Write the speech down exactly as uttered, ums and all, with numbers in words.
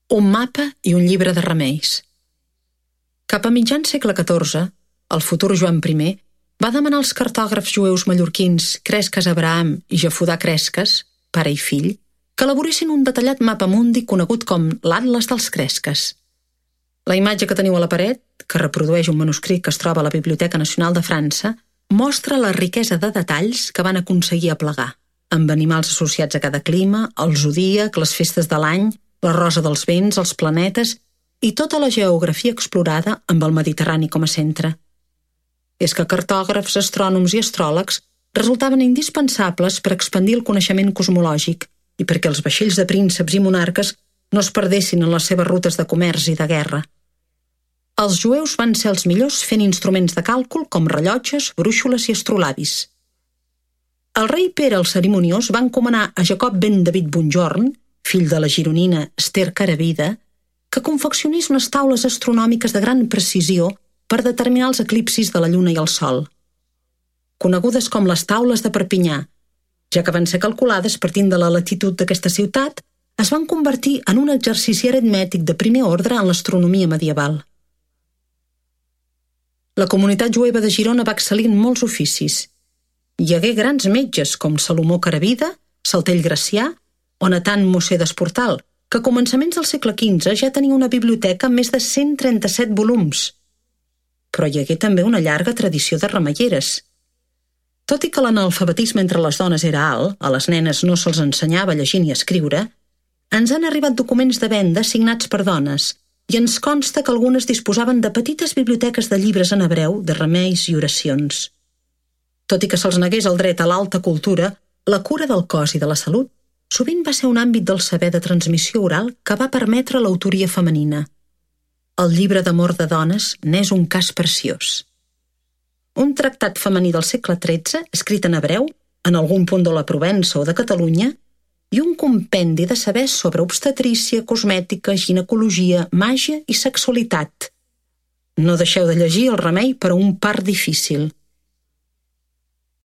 un mapa i un llibre de remeis. Cap a mitjan segle catorze, el futur Joan primer va demanar als cartògrafs jueus mallorquins Cresques Abraham i Jafudà Cresques, pare i fill, que elaboressin un detallat mapa mundi conegut com l'Atles dels Cresques. La imatge que teniu a la paret, que reprodueix un manuscrit que es troba a la Biblioteca Nacional de França, mostra la riquesa de detalls que van aconseguir aplegar, amb animals associats a cada clima, el zodíac, les festes de l'any, la rosa dels vents, els planetes i tota la geografia explorada amb el Mediterrani com a centre. És que cartògrafs, astrònoms i astròlegs resultaven indispensables per expandir el coneixement cosmològic i perquè els vaixells de prínceps i monarques no es perdessin en les seves rutes de comerç i de guerra. Els jueus van ser els millors fent instruments de càlcul com rellotges, brúixoles i astrolabis. El rei Pere el Cerimoniós va encomanar a Jacob ben David Bonjorn, fill de la gironina Ester Caravida, que confeccionés unes taules astronòmiques de gran precisió per determinar els eclipsis de la lluna i el sol. Conegudes com les taules de Perpinyà, ja que van ser calculades partint de la latitud d'aquesta ciutat, es van convertir en un exercici aritmètic de primer ordre en l'astronomia medieval. La comunitat jueva de Girona va excel·lir en molts oficis. Hi hagué grans metges com Salomó Caravida, Saltell Gracià o Natan Mosser d'Esportal, que a començaments del segle quinze ja tenia una biblioteca amb més de cent trenta-set volums. Però hi hagué també una llarga tradició de remeieres. Tot i que l'analfabetisme entre les dones era alt, a les nenes no se'ls ensenyava a llegir ni a escriure, ens han arribat documents de venda signats per dones i ens consta que algunes disposaven de petites biblioteques de llibres en hebreu, de remeis i oracions. Tot i que se'ls negués el dret a l'alta cultura, la cura del cos i de la salut sovint va ser un àmbit del saber de transmissió oral que va permetre l'autoria femenina. El llibre d'amor de dones n'és un cas preciós. Un tractat femení del segle tretze, escrit en hebreu, en algun punt de la Provença o de Catalunya, i un compendi de sabers sobre obstetrícia, cosmètica, ginecologia, màgia i sexualitat. No deixeu de llegir El remei per a un part difícil.